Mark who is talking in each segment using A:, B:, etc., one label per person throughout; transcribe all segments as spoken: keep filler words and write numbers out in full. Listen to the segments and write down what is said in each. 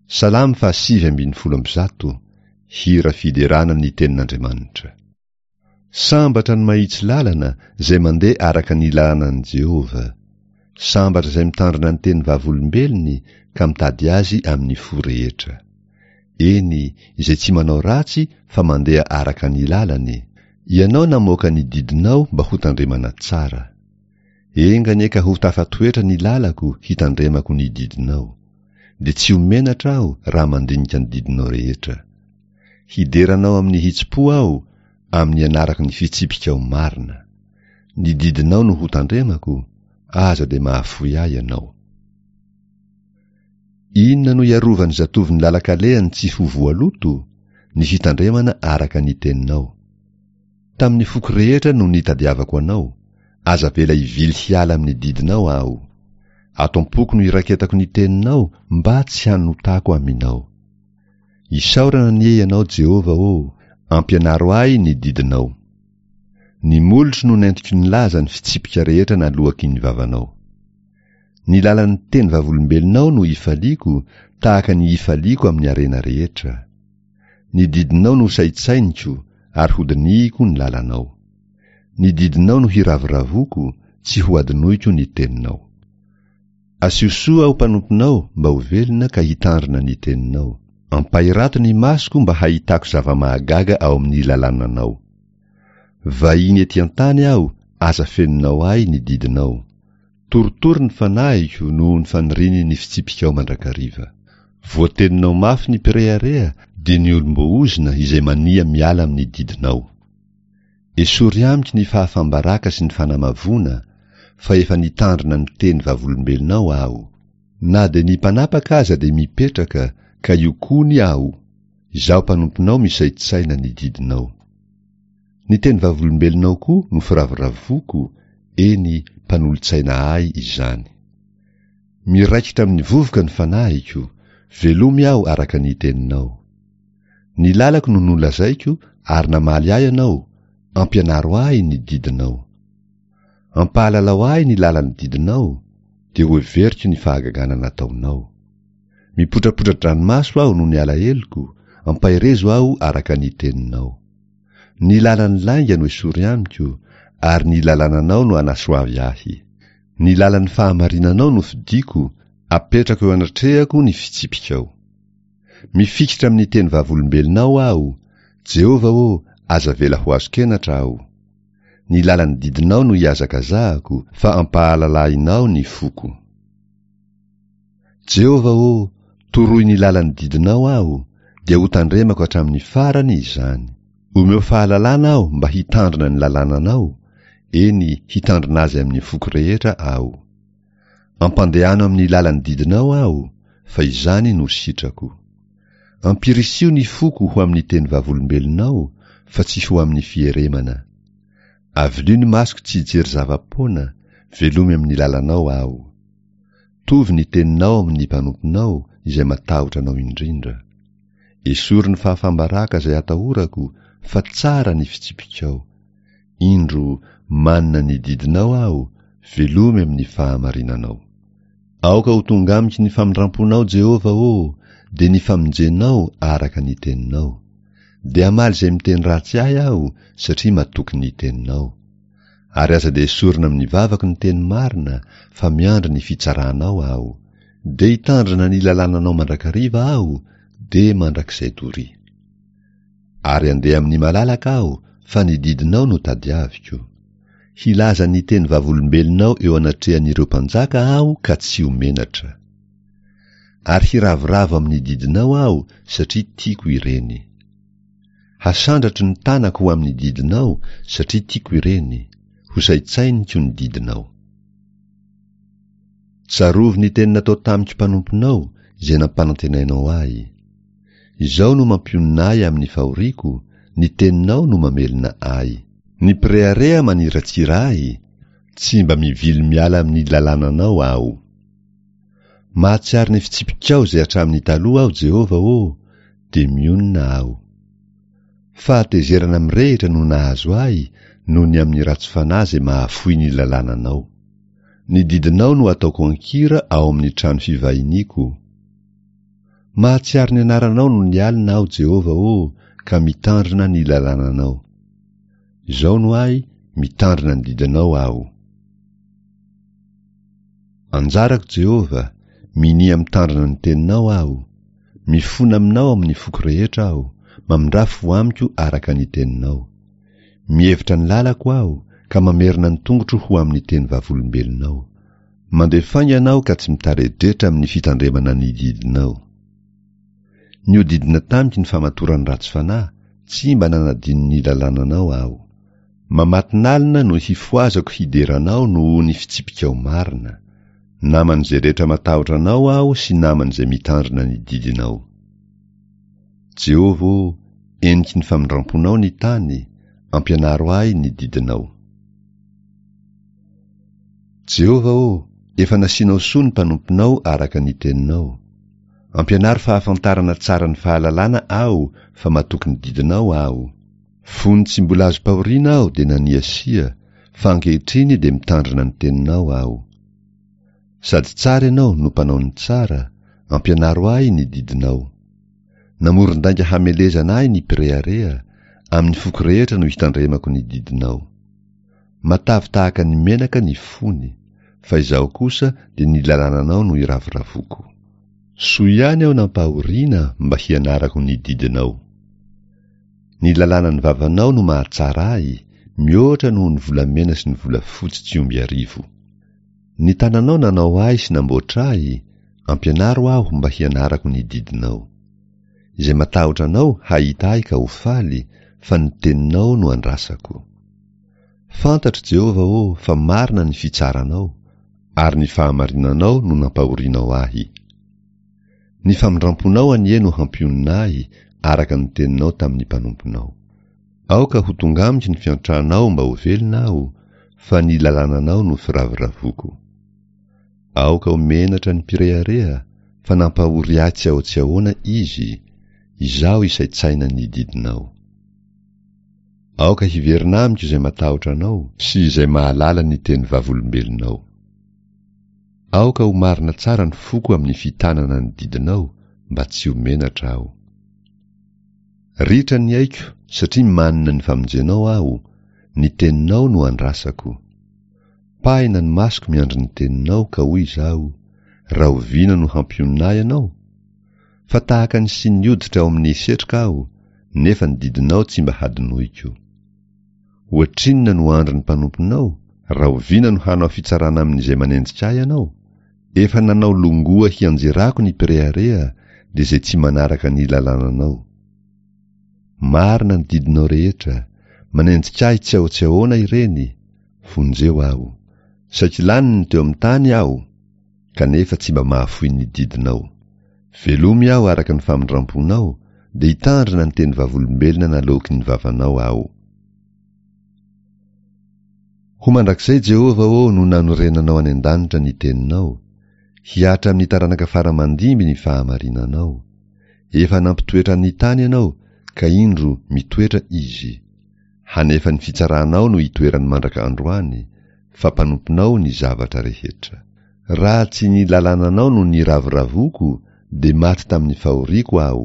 A: Salamo fahasivy ambin'ny folo amby zato, hira fiderana ny tenin'Andriamanitra. Sambatra ny mahitsy lalana izay mandeha araka ny lalànan'i Jehovah. Sambatra izay mitandrina ny teny vavolombelony ka mitady azy amin'ny fo rehetra. Eny, izay tsy manao ratsy fa mandeha araka ny lalany. Ianao namoaka ny didinao mba hotandremana tsara. Enga anie ka ho tafatoetra ny lalako hitandremako ny didinao. Dia tsy ho menatra aho raha mandinika ny didinao rehetra. Hidera anao amin'ny hitsim-po aho, amin'ny anarako ny fitsipikao marina. Ny didinao no hotandremako, aza dia mahafoy ahy ianao. Inona no iarovan'ny zatovo ny lalan-kalehany tsy ho voaloto? Ny fitandremana araka ny teninao. Tamin'ny foko rehetra no nitadiavako anao, aza avela hivily hiala amin'ny didinao aho. Ato am-poko no iraketako ny teninao mba tsy hanotako aminao. Isaorana anie ianao Jehovah ô, ampianaro ahy ny didinao. Ny molotro no nentiko nilaza ny fitsipika rehetra naloaky ny vavanao. Ny lalan'ny teny vavolombelonao no ifaliako, tahaka ny ifaliako amin'ny harena rehetra. Ny didinao no saintsainiko ary hodinihiko ny lalanao. Ny didinao no hiravoravoako, tsy ho adinoiko ny teninao. Asio soa aho mpanomponao mba ho velona ka hitandrina ny teninao. Ampahirato ny masoko mba hahitako zava-mahagaga ao amin'ny lalànanao. Vahiny ety an-tany aho, aza fenonao ahy ny didinao. Torotoro ny fanahiko noho ny faniriany ny fitsipikao mandrakariva. Voateninao mafy ny mpirehareha, dia ny olom-boaozona izay mania miala amin'ny didinao. Esory amiko ny fahafam-baraka sy ny fanamavoana, fa efa nitandrina ny teny vavolombelonao aho. Na dia ny mpanapaka aza dia mipetraka, ka io koa aho, izaho mpanomponao misaintsaina ny didinao. Ny teny vavolombelonao koa no firavoravoako, eny mpanolotsaina ahy izany. Miraikitra amin'ny vovoka ny fanahiko, velomy aho araka ny teninao. Ny lalako no nolazaiko ary namaly ahy ianao, ampianaro ahy ny didinao. Ampahalalao ahy ny lalan'ny didinao, dia hoheveriko ny fahagagana nataonao. Mipotrapotra-dranomaso aho noho ny alaheloko, ampaherezo aho araka ny teninao. Ny lalan'ny lainga no esory amiko, ary ny lalànanao no anasoavy ahy. Ny lalan'ny fahamarinanao no fidiko, apetrako eo anatrehako ny fitsipikao. Mifikitra amin'ny teny vavolombelonao aho, Jehovah ô, aza avela ho azon-kenatra aho. Ny lalan'ny didinao no ihazakazahako, fa ampahalalahinao ny foko. Jehovah ô, toroy ny lalan'ny didinao aho, dia hotandremako hatramin'ny farany izany. Omeo fahalalana aho mba hitandrina ny lalànanao, eny hitandrina azy amin'ny foko rehetra aho. Ampandehano amin'ny lalan'ny didinao aho, fa izany no sitrako. Ampirisio ny foko ho amin'ny teny vavolombelonao, fa tsy ho amin'ny fieremana. Avilio ny masoko tsy hijery zava-poana, velomy amin'ny lalanao aho. Tovy ny teninao amin'ny mpanomponao, izay matahotra anao indrindra. Esory ny fahafam-baraka izay atahorako, fa tsara ny fitsipikao. Indro, manina ny didinao aho, velomy amin'ny fahamarinanao. Aoka ho tonga amiko ny famindram-ponao Jehovah ô, dia ny famonjenao araka ny teninao. Dia hamaly izay miteny ratsy ahy aho, satria matoky ny teninao. Ary aza dia esorina amin'ny vavako ny teny marina, fa miandry ny fitsaranao aho. Dia hitandrina ny lalànanao mandrakariva aho, dia mandrakizay doria. Ary andeha amin'ny malalaka aho, fa ny didinao no tadiaviko. Hilaza ny teny vavolombelonao eo anatrehan'ireo mpanjaka aho ka tsy ho menatra. Ary hiravoravo amin'ny didinao aho, satria tiako ireny. Hasandratro ny tanako ho amin'ny didinao, satria tiako ireny. Ho saintsainiko ny didinao. Tsarovy ny teny natao tamiko mpanomponao, izay nampanantenainao ahy. Izao no mampionona ahy amin'ny fahoriako, ny teninao no mamelona ahy. Ny mpirehareha maniratsira ahy, tsy mba mivily miala amin'ny lalànanao aho. Mahatsiaro ny fitsipikao izay hatramin'ny taloha aho Jehovah ô, dia mionona aho. Fahatezerana mirehitra no nahazo ahy noho ny amin'ny ratsy fanahy izay mahafoy ny lalànanao. Ny didinao no ataoko an-kira ao amin'ny trano fivahiniako. Mahatsiaro ny anaranao nony alina aho, Jehovah ô, ka mitandrina ny lalànanao. Izao no ahy, mitandrina ny didinao aho. Anjarako, Jehovah, minia mitandrina ny teninao aho. Mifona aminao amin'ny foko rehetra aho, mamindrà fo amiko araka ny teninao. Mihevitra ny lalako aho, ka mamerina ny tongotro ho amin'ny teny vavolombelonao. Mandeha faingana aho ka tsy mitaredretra amin'ny fitandremana ny didinao. Nihodidina tamiko ny famatoran'ny ratsy fanahy, tsy mba nanadino ny lalànanao aho. Mamatonalina no hifohazako hidera anao noho ny fitsipikao marina. Naman'izay rehetra matahotra anao aho sy naman'izay mitandrina ny didinao. Jehovah ô, heniky ny famindramponao ny tany, ampianaro ahy ny didinao. Jehovah ô, efa nasianao soa ny mpanomponao araka ny teninao. Ampianaro fahafantarana tsara ny fahalalana aho, fa matoky ny didinao aho. Fony tsy mbola azom-pahoriana aho dia naniasia, fa ankehitriny dia mitandrina ny teninao aho. Sady tsara ianao no mpanao ny tsara, ampianaro ahy ny didinao. Namoron-dainga hamelezana ahy ny mpirehareha, amin'ny foko rehetra no hitandremako ny didinao. Matavy tahaka ny menaka ny fony, fa izaho kosa dia ny lalànanao no iravoravoako. Soa ihany aho nampahoriana mba hianarako ny didinao. Ny lalànan'ny vavanao no mahatsara ahy, mihoatra noho ny volamena sy ny volafotsy tsy omby arivo. Ny tananao nanao ahy sy namboatra ahy, ampianaro aho mba hianarako ny didinao. Izay matahotra anao hahita ahy ka ho faly, fa ny teninao no andrasako. Fantatro, Jehovah ô, fa marina ny fitsaranao, ary ny fahamarinanao no nampahorianao ahy. Ny famindramponao anie no hampionona ahy, araka ny teninao tamin'ny mpanomponao. Aoka ho tonga amiko ny fiantranao mba ho velona aho, fa ny lalànanao no firavoravoako. Aoka ho menatra ny mpirehareha, fa nampahory ahy tsy aho tsy ahoana izy, izaho isaintsaina ny didinao. Aoka hiverina amiko izay matahotra anao sy izay mahalala ny teny vavolombelonao. Aoka ho marina tsara ny foko amin'ny fitanana ny didinao, mba tsy ho menatra aho. Ritra ny aiko satria manina ny famonjenao aho, ny teninao no andrasako. Pahina ny masoko miandry ny teninao ka hoy izaho, rahoviana no hampionona ahy ianao? Fa tahaka ny siny hoditra ao amin'ny setroka aho, nefa ny didinao tsy mba hadinoiko. Ohatrinona no andron'ny mpanomponao? Rahoviana no hanao fitsarana amin'izay manenjika ahy ianao? Efa nanao longoa hianjerako ny mpirehareha, dia izay tsy manaraka ny lalànanao. Marina ny didinao rehetra, manenjika ahy tsy aho tsy ahoana ireny, vonjeo aho. Saiky lany ny teo amin'ny tany aho, kanefa tsy mba mahafoy ny didinao. Velomy aho araka ny famindramponao, dia hitandrina ny teny vavolombelona naloaky ny vavanao aho. Ho mandrakizay, Jehovah ô, no nanorenanao any an-danitra ny teninao, hihatra amin'ny taranaka fara-mandimby ny fahamarinanao. Efa nampitoetra ny tany ianao, ka indro mitoetra izy. Hanefa ny fitsaranao no itoerany mandraka androany, fa mpanomponao ny zavatra rehetra. Raha tsy ny lalànanao no niravoravoako, dia maty tamin'ny fahoriako aho.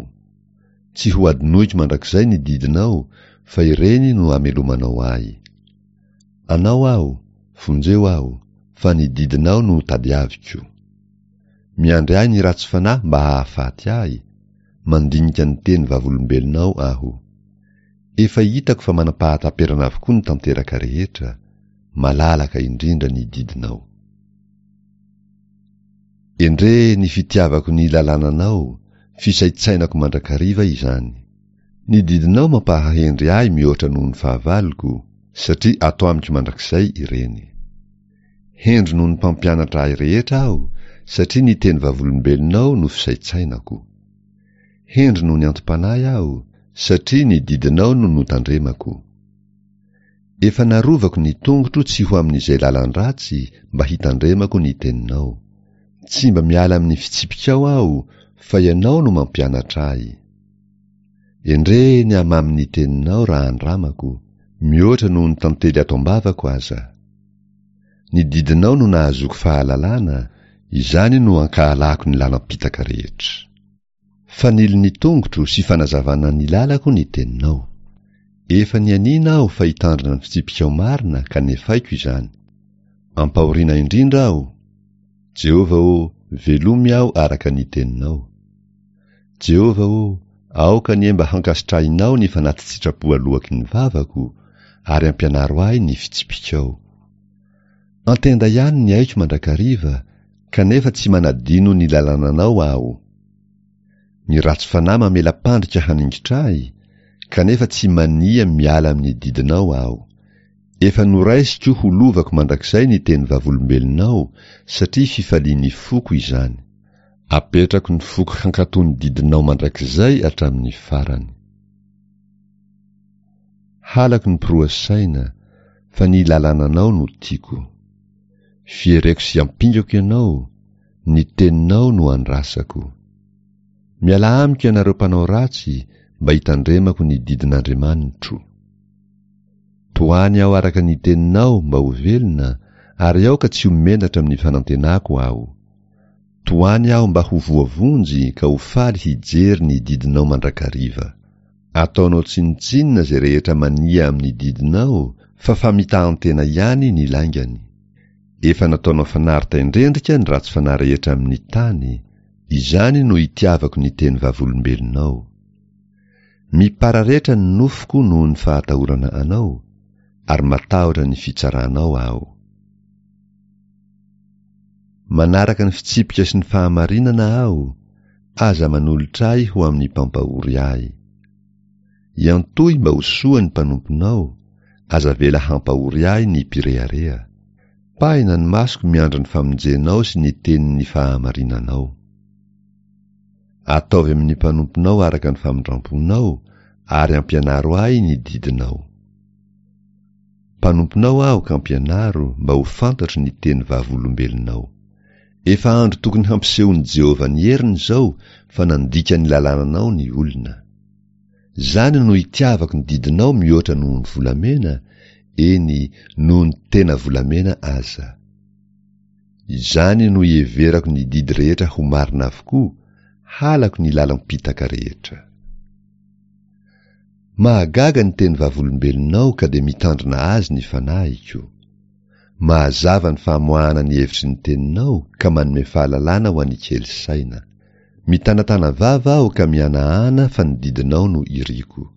A: Tsy ho adinoiko mandrakizay ny didinao, fa ireny no amelomanao ahy. Anao aho, vonjeo aho, fa ny didinao no tadiaviko. Miandry ahy ny ratsy fanahy mba hahafaty ahy, mandinika ny teny vavolombelonao aho. Efa hitako fa manam-pahataperana avokoa ny tanteraka rehetra, malalaka indrindra ny didinao. Endrey ny fitiavako ny lalànanao, fisaintsainako mandrakariva izany. Ny didinao mampahahendry ahy mihoatra noho ny fahavaloko, satria ato amiko mandrakizay ireny. Hendry noho ny mpampianatra ahy rehetra aho, satria ny teny vavolombelonao no fisaintsainako. Hendry noho ny antom-panahy aho, satria ny didinao no notandremako. Efa narovako ny tongotro tsy ho amin'izay lalan-dratsy mba hitandremako ny teninao. Tsy mba miala amin'ny fitsipikao aho, fa ianao no mampianatra ahy. Endrey ny hamamin'ny teninao raha andramako, mihoatra noho ny tantely ato am-bavako aza. Ny didinao no nahazoako fahalalana, izany no ankahalako ny lalam-pitaka rehetra. Fanilo ny tongotro sy fanazavana ny lalako ny teninao. Efa nianiana aho fa hitandrina ny fitsipikao marina ka nefaiko izany. Ampahoriana indrindra aho. Jehovah ô, velomy aho araka ny teninao. Jehovah ô, aoka anie mba hankasitrahinao ny fanati-tsitrapo aloaky ny vavako, ary ampianaro ahy ny fitsipikao. Antenda ihany ny aiko mandrakariva, kanefa tsy manadino ny lalànanao aho. Ny ratsy fanahy mamela-pandrika haningitra ahy, kanefa tsy mania miala amin'ny didinao aho. Efa noraisiko ho lovako mandrakizay ny teny vavolombelonao, satria fifalian'ny foko izany. Apetrako ny foko hankatò ny didinao mandrakizay hatramin'ny farany. Halako ny mpiroa saina, fa ny lalànanao no tiako. Fiereko sy ampingako ianao, ny teninao no andrasako. Miala amiko ianareo mpanao ratsy, mba hitandremako ny didin'Andriamanitro. Tohany aho araka ny teninao mba ho velona, ary aoka tsy ho menatra amin'ny fanantenako aho. Tohany aho mba ho voavonjy ka ho faly hijery ny didinao mandrakariva. Ataonao tsinontsinona izay rehetra mania amin'ny didinao, fa famitahan-tena ihany ny laingany. Efa nataonao fanary-taindrendrika ny ratsy fanahy rehetra amin'ny tany, izany no itiavako ny teny vavolombelonao. Mipararetra ny nofoko noho ny fahatahorana anao, ary matahotra ny fitsaranao aho. Manaraka ny fitsipika sy ny fahamarinana aho, aza manolotra ahy ho amin'ny mpampahory ahy. Iantohy mba ho soa ny mpanomponao, aza avela hampahory ahy ny mpirehareha. Pahina ny masoko miandry ny famonjenao sy ny tenin'ny fahamarinanao. Ataovy amin'ny mpanomponao araka ny famindramponao, ary ampianaro ahy ny didinao. Mpanomponao aho ka ampianaro mba ho fantatro ny teny vavolombelonao. Efa andro tokony hampisehon'i Jehovah ny heriny izao fa nandika ny lalànanao ny olona. Izany no itiavako ny didinao mihoatra noho ny volamena, eny noho ny tena volamena aza. Izany no iheverako ny didy rehetra ho marina avokoa, halako ny lalam-pitaka rehetra. Mahagaga ny teny vavolombelonao ka dia mitandrina azy ny fanahiko. Mahazava ny famoahana ny hevitry ny teninao ka manome fahalalana ho an'ny kely saina. Mitanatana vava aho ka mihanahana fa ny didinao no iriko.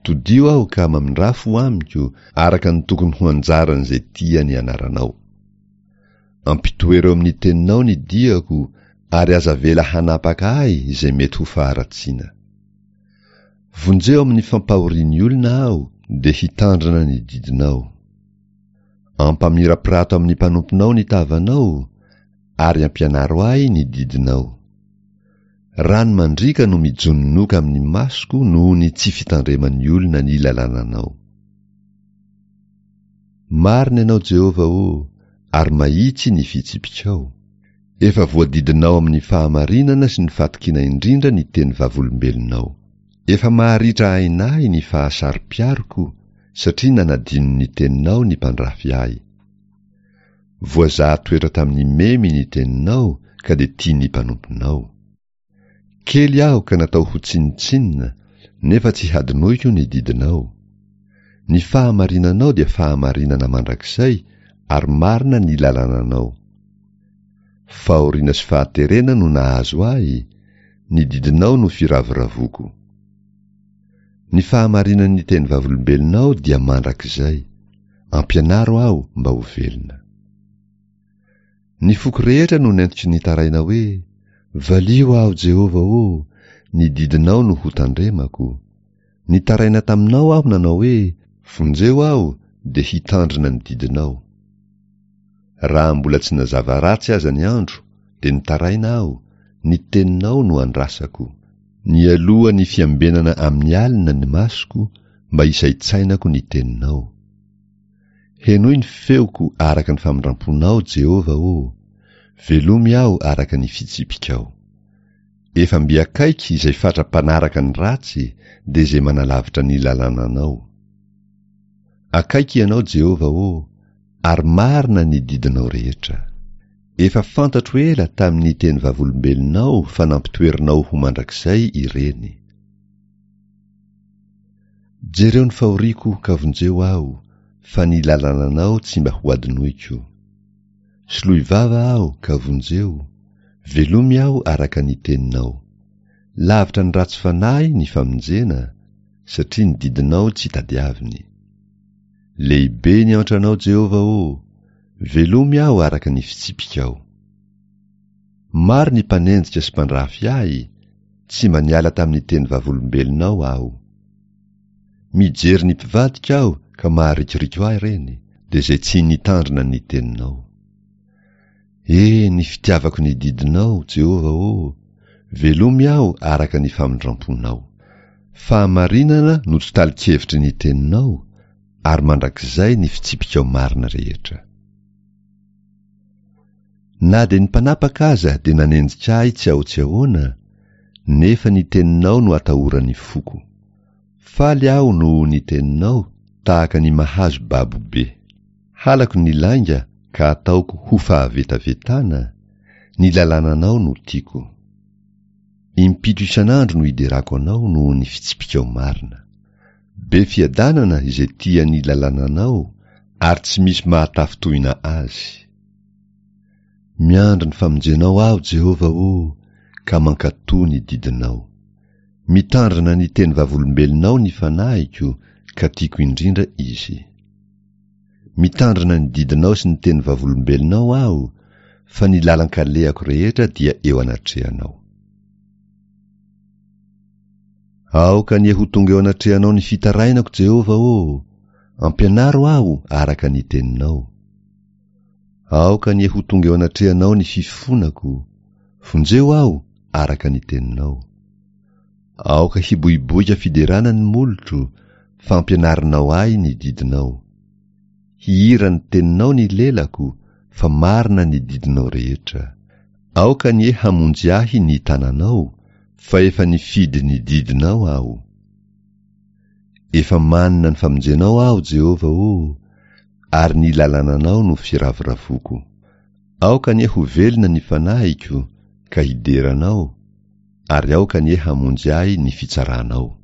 A: Todio aho ka mamindrafo amiko araka ny tokony ho anjaran'izay tia ny anaranao. Ampitoero amin'ny teninao ny diako ary aza avela hanapaka ahy izay mety ho faharatsiana. Vonjeo amin'ny fampahorian'ny olona aho dia hitandrina ny didinao. Ampamirapirato amin'ny mpanomponao ny tavanao ary ampianaro ahy ny didinao. Rano mandriaka no mijononoka amin'ny masoko noho ny tsy fitandreman'ny olona ny lalànanao. Marina ianao Jehovah ô, ary mahitsy ny fitsipikao. Efa voadidinao amin'ny fahamarinana sy ny fatokiana indrindra ny teny vavolombelonao. Efa maharitra aina ahy ny fahasaro-piaroko satria nanadino ny teninao ny mpandrafy ahy. Voazaha toetra tamin'ny memy ny teninao ka dia tian'ny mpanomponao. Kely aho ka natao ho tsinontsinona, nefa tsy hadinoiko ny didinao. Ny fahamarinanao dia fahamarinana mandrakizay ary marina ny lalànanao. Fahoriana sy fahaterena no nahazo ahy, ny didinao no firavoravoako. Ny fahamarinan'ny teny vavolombelonao dia mandrakizay, ampianaro aho mba ho velona. Ny foko rehetra no nentiko nitaraina hoe, valio aho Jehovah ô, ny didinao no ho tandremako. Nitaraina taminao aho nanao hoe, vonjeo aho dia hitandrina ny didinao. Raha mbola tsy nazava ratsy aza ny andro, dia nitaraina aho, ny teninao no andrasako. Nialoha ny fiambenana amin'ny alina ny masoko mba hisaintsainako ny teninao. Henoy ny feoko araka ny famindramponao Jehovah ô, velomy aho araka ny fitsipikao. Efa mby akaiky izay fatra mpanaraka ny ratsy dia izay manalavitra ny lalànanao. Akaiky ianao Jehovah ô, ary marina ny didinao rehetra. Efa fantatro ela tamin'ny teny vavolombelonao fa nampitoerinao ho mandrakizay ireny. Jereo ny fahoriako ka vonjeo aho, fa ny lalànanao tsy mba hohadinoiko. Soloy vava aho ka vonjeo, velomy aho araka ny teninao. Lavitra ny ratsy fanahy ny famonjena, satria ny didinao tsy tadiaviny. Lehibe ny antranao, Jehovah ô, velomy aho araka ny fitsipikao. Maro ny mpanenjika sy mpandrafy ahy, tsy mba niala tamin'ny teny vavolombelonao aho. Mijery ny mpivadika aho ka maharikoriko ahy ireny, dia izay tsy nitandrina ny teninao. E, ny fitiavako ny didinao, Jehovah ô, velomy aho araka ny famindramponao. Fahamarinana no totalikevitry ny teninao, ary mandrakizay ny fitsipikao marina rehetra. Na dia ny mpanapaka aza dia nanenjika ahy tsy aho tsy ahoana, nefa ny teninao no atahoran'ny foko. Faly aho noho ny teninao, tahaka ny mahazo babo be. Halako ny lainga ka ataoko ho fahavetavetana, ny lalànanao no tiako. Impito isan'andro no iderako anao noho ny fitsipikao marina. Be fiadanana izay tia ny lalànanao, ary tsy misy mahatafintohina azy. Miandry ny famonjenao aho, Jehovah ô, ka mankatò ny didinao. Mitandrina ny teny vavolombelonao ny fanahiko, ka tiako indrindra izy. Mitandrina ny didinao sy ny teny vavolombelonao aho, fa ny lalan-kalehako rehetra dia eo anatrehanao. Aoka anie ho tonga eo anatrehanao ny fitarainako, Jehovah ô, ampianaro aho araka ny teninao. Aoka anie ho tonga eo anatrehanao ny fifonako, vonjeo aho araka ny teninao. Aoka hiboiboika fiderana ny molotro, fa ampianarinao ahy ny didinao. Hihira ny teninao ny lelako, fa marina ny didinao rehetra. Aoka anie hamonjy ahy ny tananao, fa efa nifidy ny didinao aho. Efa manina ny famonjenao aho, Jehovah ô, ary ny lalànanao no firavoravoako. Aoka anie ho velona ny fanahiko, ka hidera anao, ary aoka anie hamonjy ahy ny fitsaranao.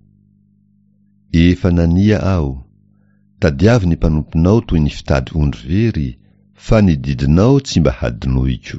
A: Efa nania aho, tadiavo ny mpanomponao toy ny fitady ondry very, fa ny didinao tsy mba hadinoiko.